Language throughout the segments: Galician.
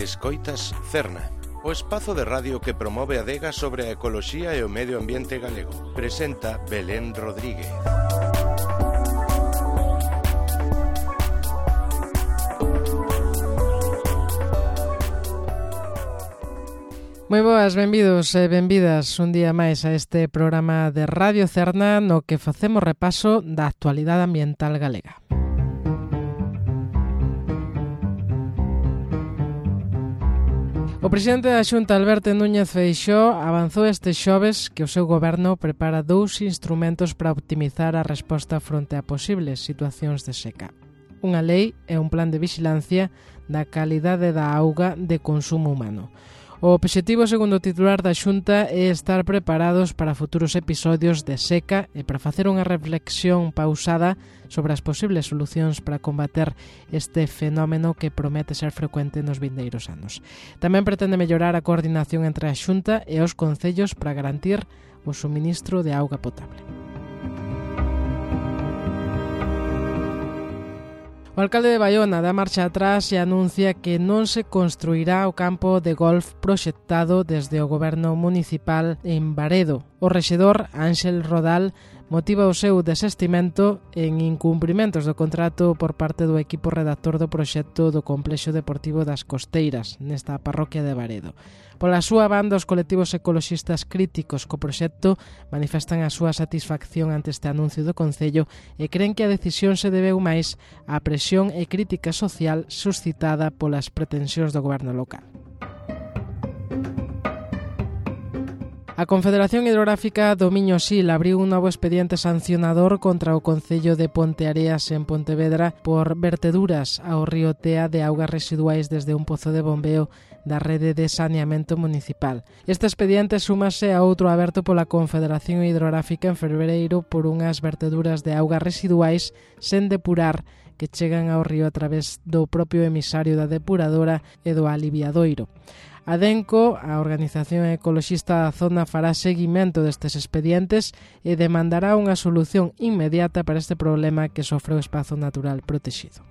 Escoitas Cerna, o espazo de radio que promove a adega sobre a ecoloxía e o medio ambiente galego. Presenta Belén Rodríguez. Moi boas, benvidos e benvidas un día máis a este programa de Radio Cerna no que facemos repaso da actualidade ambiental galega. O presidente da Xunta, Alberto Núñez Feixóo, avanzou este xoves que o seu goberno prepara 2 instrumentos para optimizar a resposta fronte a posibles situacións de seca. Unha lei e un plan de vixilancia da calidade da auga de consumo humano. O obxectivo, segundo o titular da Xunta, é estar preparados para futuros episodios de seca e para facer unha reflexión pausada sobre as posibles solucións para combater este fenómeno que promete ser frecuente nos vindeiros anos. Tamén pretende mellorar a coordinación entre a Xunta e os concellos para garantir o suministro de auga potable. O alcalde de Baiona dá marcha atrás e anuncia que non se construirá o campo de golf proxectado desde o goberno municipal en Baredo. O rexedor Ánxel Rodal motiva o seu desestimento en incumprimentos do contrato por parte do equipo redactor do proxecto do Complexo Deportivo das Costeiras, nesta parroquia de Baredo. Pola súa banda, os colectivos ecoloxistas críticos co proxecto manifestan a súa satisfacción ante este anuncio do Concello e creen que a decisión se debeu máis á presión e crítica social suscitada polas pretensións do goberno local. A Confederación Hidrográfica do Miño-Sil abriu un novo expediente sancionador contra o Concello de Ponteareas en Pontevedra por verteduras ao río Tea de augas residuais desde un pozo de bombeo da rede de saneamento municipal. Este expediente súmase a outro aberto pola Confederación Hidrográfica en febreiro por unhas verteduras de augas residuais sen depurar que chegan ao río a través do propio emisario da depuradora e do aliviadoiro. A DENCO, a organización ecoloxista da zona, fará seguimento destes expedientes e demandará unha solución inmediata para este problema que sofre o espazo natural protexido.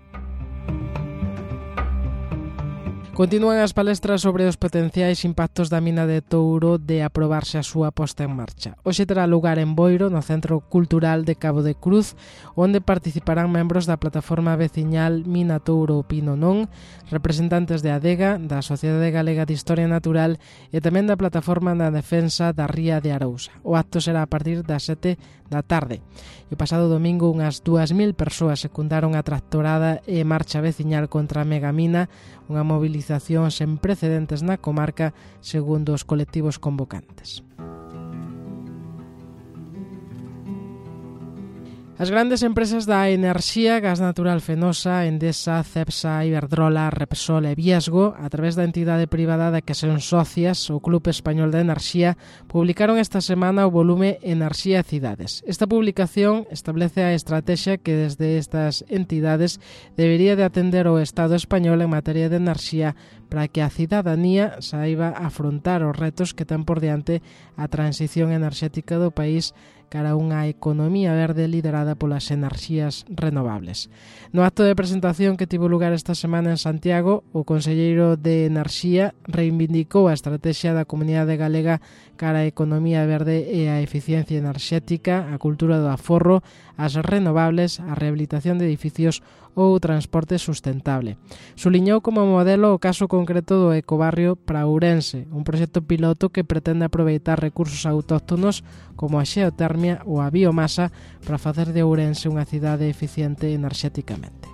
Continúan as palestras sobre os potenciais impactos da mina de Touro de aprobarse a súa posta en marcha. Hoxe terá lugar en Boiro, no Centro Cultural de Cabo de Cruz, onde participarán membros da plataforma veciñal Mina Touro Opino Non, representantes de Adega, da Sociedade Galega de Historia Natural e tamén da plataforma na defensa da ría de Arousa. O acto será a partir das 7 da tarde. E o pasado domingo unhas 2.000 persoas secundaron a tractorada e marcha veciñal contra a megamina, unha movilización sen precedentes na comarca, segundo os colectivos convocantes. As grandes empresas da enerxía, Gas Natural Fenosa, Endesa, Cepsa, Iberdrola, Repsol e Viesgo, a través da entidade privada da que son socias, o Club Español de Enerxía, publicaron esta semana o volume Enerxía e Cidades. Esta publicación establece a estrategia que desde estas entidades debería de atender o Estado español en materia de enerxía para que a cidadanía saiba afrontar os retos que ten por diante a transición enerxética do país cara a unha economía verde liderada polas enerxías renovables. No acto de presentación que tivo lugar esta semana en Santiago, o conselleiro de Enerxía reivindicou a estrategia da Comunidade Galega cara a economía verde e a eficiencia enerxética, a cultura do aforro, as renovables, a rehabilitación de edificios ou o transporte sustentable. Suliñou como modelo o caso concreto do Ecobarrio para Ourense, un proxecto piloto que pretende aproveitar recursos autóctonos como a xeotermia ou a biomasa para facer de Ourense unha cidade eficiente enerxéticamente.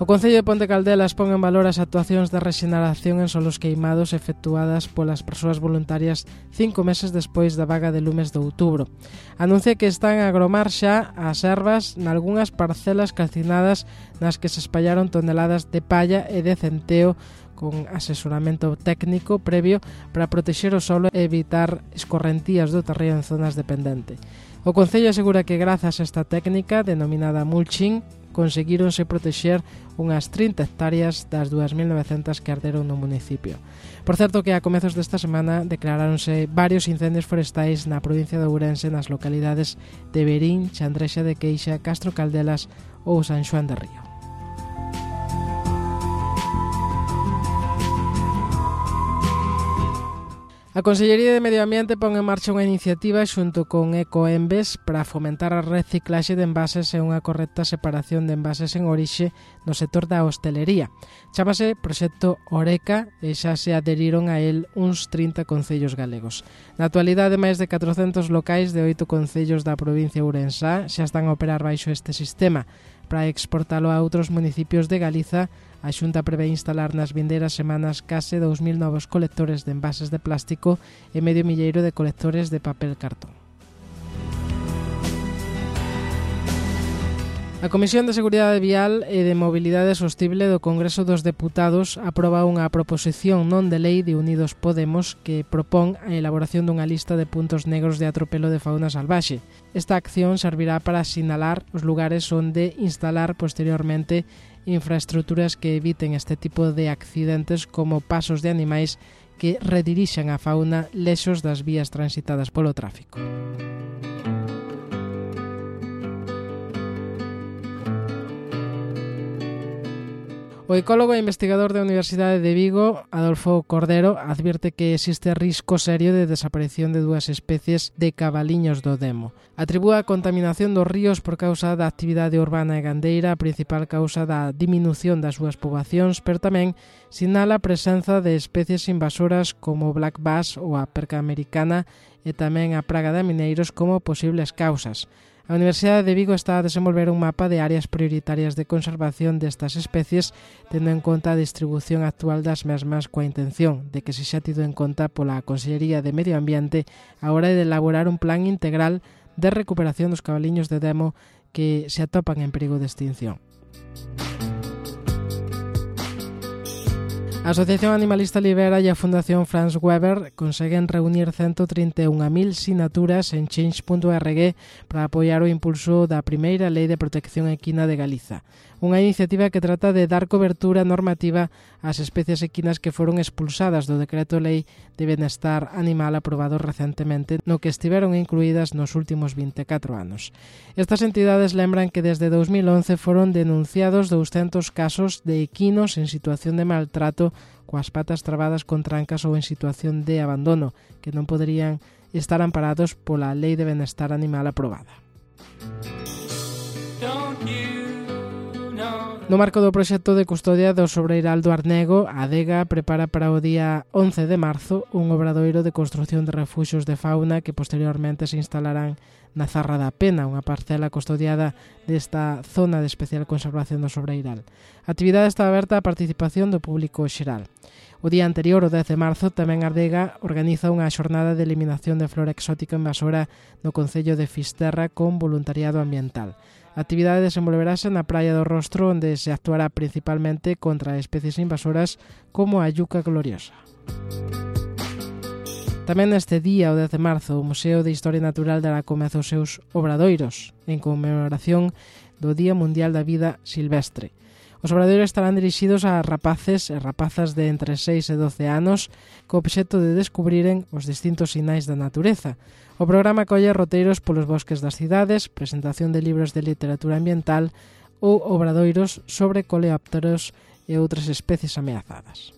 O Concello de Ponte Caldelas pon en valor as actuacións de rexeneración en solos queimados efectuadas polas persoas voluntarias 5 meses despois da vaga de lumes de outubro. Anuncia que están a agromar xa as ervas nalgunhas parcelas calcinadas nas que se espallaron toneladas de palla e de centeo con asesoramento técnico previo para protexer o solo e evitar escorrentías do terreo en zonas dependente. O Concello asegura que grazas a esta técnica, denominada mulching, conseguíronse protexer unhas 30 hectáreas das 2.900 que arderon no municipio. Por certo que a comezos desta semana declaráronse varios incendios forestais na provincia de Ourense nas localidades de Verín, Chandrexa de Queixa, Castro Caldelas ou San Xoán de Río. A Consellería de Medio Ambiente pon en marcha unha iniciativa xunto con Ecoembes para fomentar a reciclaxe de envases e unha correcta separación de envases en orixe no sector da hostelería. Chámase Proxecto Oreca e xa se adheriron a el uns 30 concellos galegos. Na actualidade, máis de 400 locais de 8 concellos da provincia Ourensá xa están a operar baixo este sistema. Para exportalo a outros municipios de Galiza, a Xunta prevé instalar nas vindeiras semanas case 2.000 novos colectores de envases de plástico e medio milleiro de colectores de papel cartón. A Comisión de Seguridade Vial e de Mobilidade Sostible do Congreso dos Deputados aproba unha proposición non de lei de Unidos Podemos que propón a elaboración dunha lista de puntos negros de atropelo de fauna salvaxe. Esta acción servirá para sinalar os lugares onde instalar posteriormente infraestruturas que eviten este tipo de accidentes como pasos de animais que redirixan a fauna lexos das vías transitadas polo tráfico. O ecólogo e investigador da Universidade de Vigo, Adolfo Cordero, advirte que existe risco serio de desaparición de 2 especies de cabaliños do Demo. Atribúa a contaminación dos ríos por causa da actividade urbana e gandeira, a principal causa da diminución das súas poboacións, pero tamén sinala a presenza de especies invasoras como o black bass ou a perca americana e tamén a praga de mineiros como posibles causas. A Universidade de Vigo está a desenvolver un mapa de áreas prioritarias de conservación destas especies, tendo en conta a distribución actual das mesmas coa intención de que se xa tido en conta pola Consellería de Medio Ambiente a hora de elaborar un plan integral de recuperación dos cabaliños de Demo que se atopan en perigo de extinción. A Asociación Animalista Libera e a Fundación Franz Weber conseguen reunir 131.000 sinaturas en change.org para apoiar o impulso da primeira Lei de Protección Equina de Galiza. Unha iniciativa que trata de dar cobertura normativa ás especies equinas que foron expulsadas do Decreto Lei de Benestar Animal aprobado recentemente, no que estiveron incluídas nos últimos 24 anos. Estas entidades lembran que desde 2011 foron denunciados 200 casos de equinos en situación de maltrato coas patas trabadas con trancas ou en situación de abandono, que non poderían estar amparados pola Lei de Benestar Animal aprobada. No marco do proxecto de custodia do sobreiral do Arnego, a Adega prepara para o día 11 de marzo un obradoiro de construción de refuxios de fauna que posteriormente se instalarán na Zarra da Pena, unha parcela custodiada desta zona de especial conservación do sobreiral. A actividade está aberta á participación do público xeral. O día anterior, o 10 de marzo, tamén a Adega organiza unha xornada de eliminación de flora exótica invasora no concello de Fisterra con voluntariado ambiental. A actividade desenvolverase na Praia do Rostro, onde se actuará principalmente contra especies invasoras como a yuca gloriosa. Tamén neste día, o 10 de marzo, o Museo de Historia Natural dará comezo os seus obradoiros en conmemoración do Día Mundial da Vida Silvestre. Os obradoiros estarán dirixidos a rapaces e rapazas de entre 6 e 12 anos co obxecto de descubriren os distintos sinais da natureza. O programa colle roteiros polos bosques das cidades, presentación de libros de literatura ambiental ou obradoiros sobre coleópteros e outras especies ameazadas.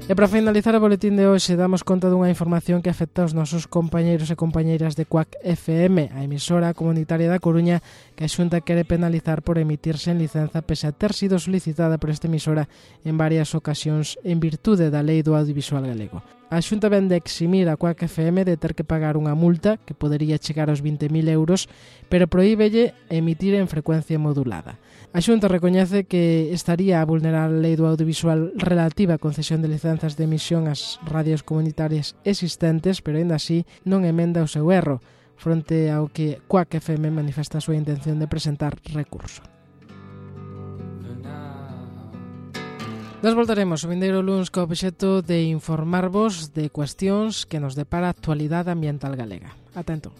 E para finalizar o boletín de hoxe damos conta dunha información que afecta aos nosos compañeiros e compañeiras de Cuac FM, a emisora comunitaria da Coruña, que a Xunta quere penalizar por emitirse en licenza pese a ter sido solicitada por esta emisora en varias ocasións en virtude da Lei do Audiovisual Galego. A Xunta vén de eximir a Cuac FM de ter que pagar unha multa que podería chegar aos 20.000 euros, pero prohíbelle emitir en frecuencia modulada. A Xunta recoñece que estaría a vulnerar a Lei do Audiovisual relativa á concesión de licenzas de emisión ás radios comunitarias existentes, pero aínda así non emenda o seu erro, fronte ao que Cuac FM manifesta a súa intención de presentar recurso. Nos voltaremos o vindeiro luns co obxecto de informarvos de cuestións que nos depara a actualidade ambiental galega. Ata entón.